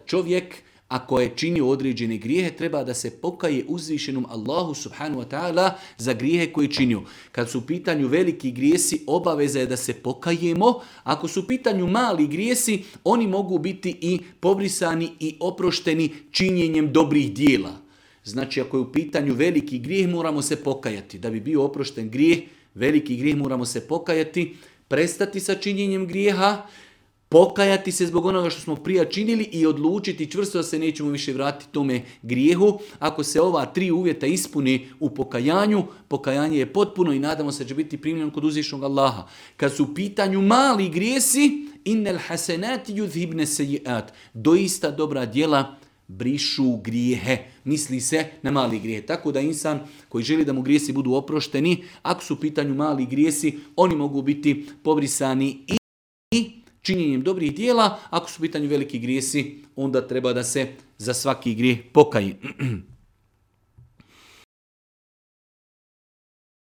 čovjek ako je činio određene grijehe, treba da se pokaje uzvišenom Allahu subhanahu wa ta'ala za grijehe koje je činio. Kad su u pitanju veliki grijesi, obaveza je da se pokajemo. Ako su u pitanju mali grijesi, oni mogu biti i pobrisani i oprošteni činjenjem dobrih dijela. Znači, ako je u pitanju veliki grijeh, moramo se pokajati. Da bi bio oprošten grijeh, veliki grijeh, moramo se pokajati, prestati sa činjenjem grijeha, pokajati se zbog onoga što smo prije činili i odlučiti čvrsto da se nećemo više vratiti tome grijehu. Ako se ova 3 uvjeta ispuni u pokajanju, pokajanje je potpuno i nadamo se da će biti primljeno kod uzvišenog Allaha. Kad su u pitanju mali grijesi, innal hasenati yudhibne sejiat, doista dobra djela brišu grijehe. Misli se na mali grijehe. Tako da insan koji želi da mu grijesi budu oprošteni, ako su u pitanju mali grijesi, oni mogu biti pobrisani i činjenjem dobrih dijela. Ako su u pitanju veliki grijesi, onda treba da se za svaki grijeh pokaje.